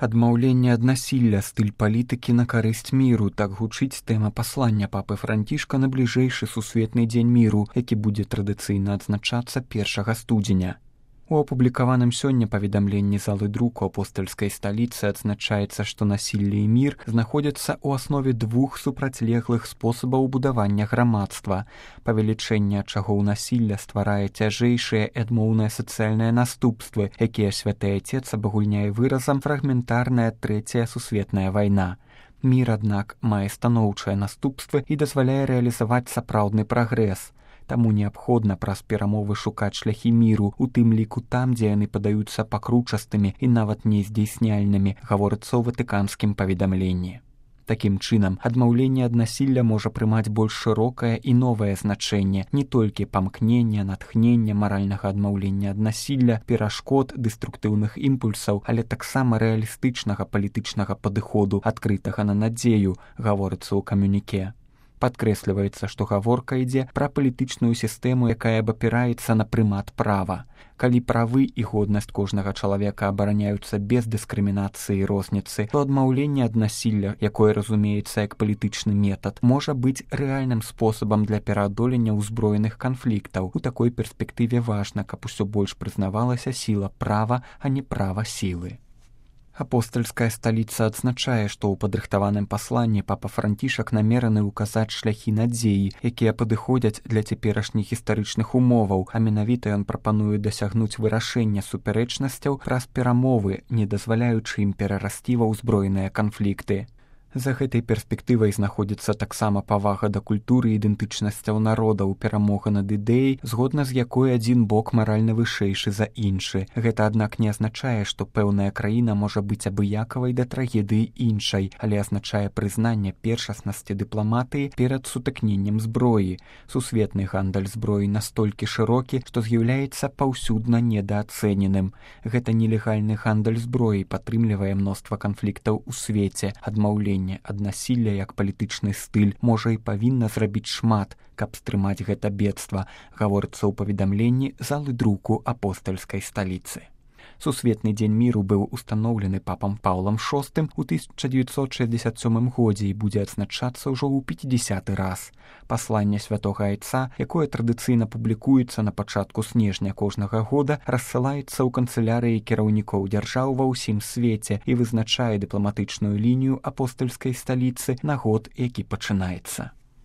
Адмаўленне ад насілля, стыль палітыкі на карысць міру, так гучыць тэма паслання папы Францішка на бліжэйшы сусветны дзень міру, які будзе традыцыйна адзначацца 1 студзеня. У апублікаваным сёння паведамленні залы друку апостальскай сталіцы адзначаецца, што насілле і мір знаходзяцца ў аснове двух супрацьлеглых спосабаў будавання грамадства. Павелічэнне ачагоў насілля стварае цяжэйшыя і адмоўныя сацыяльныя наступствы, якія святы Айцец абагульняе выразам «фрагментарная трэцяя сусветная вайна». Мір, аднак, мае станоўчыя наступствы і дазваляе рэалізаваць сапраўдны прагрэс. Таму неабходна праз перамовы шукаць шляхі міру, у тым ліку там, дзе яны падаюцца пакручастымі і нават нездзейсняльнымі, гаворыцца ў ватыканскім паведамленні. Такім чынам, адмаўленне ад насілля можа прымаць больш шырокае і новае значэнне, не толькі памкнення, натхнення, маральнага адмаўлення ад насілля, перашкод, дэструктыўных імпульсаў, але таксама рэалістычнага палітычнага падыходу, адкрытага на надзею, гаворыцца ў камюніке. Падкрэсліваецца, што гаворка ідзе пра палітычную сістэму, якая абапіраецца на прымат права. Калі правы і годнасць кожнага чалавека абараняюцца без дыскрымінацыі і розніцы, то адмаўленне ад насілля, якое разумеецца як палітычны метад, можа быць рэальным спосабам для пераадолення ўзброеных канфліктаў. У такой перспектыве важна, каб усё больш прызнавалася сіла права, а не права сілы. Апостальская сталіца адзначае, што ў падрыхтаваным пасланні папа Францішак намераны ўказаць шляхі надзеі, якія падыходзяць для цяперашніх гістарычных умоваў, а менавіта ён прапануе дасягнуць вырашэння супярэчнасцяў праз перамовы, не дазваляючы ім перарасці ва ўзброеныя канфлікты. За гэтай перспектывай знаходзіцца таксама павага да культуры і ідэнтычнасцяў народаў, перамога над ідэяй, згодна з якой адзін бок маральна вышэйшы за іншы. Гэта, аднак, не азначае, што пэўная краіна можа быць абыякавай да трагедыі іншай, але азначае прызнанне першаснасці дыпламатыі перад сутыкненнем зброі. Сусветны гандаль зброі настолькі шырокі, што з'яўляецца паўсюдна недаацэненым. Гэта нелегальны гандаль зброі падтрымлівае мноства канфліктаў у свеце, адмаўленне ад насілля як палітычны стыль можа і павінна зрабіць шмат, каб стрымаць гэта бедства, гаворыцца ў паведамленні залы друку апостальскай сталіцы. Сусветны дзень міру быў устаноўлены папам Паўлам VI у 1967 годзе і будзе адзначацца ўжо ў 50-й раз. Пасланне святога Айца, якое традыцыйна публікуецца на пачатку снежня кожнага года, рассылаецца ў канцылярыі кіраўнікоў дзяржаў ва ўсім свеце і вызначае дыпламатычную лінію апостальскай сталіцы на год, які пачынаецца.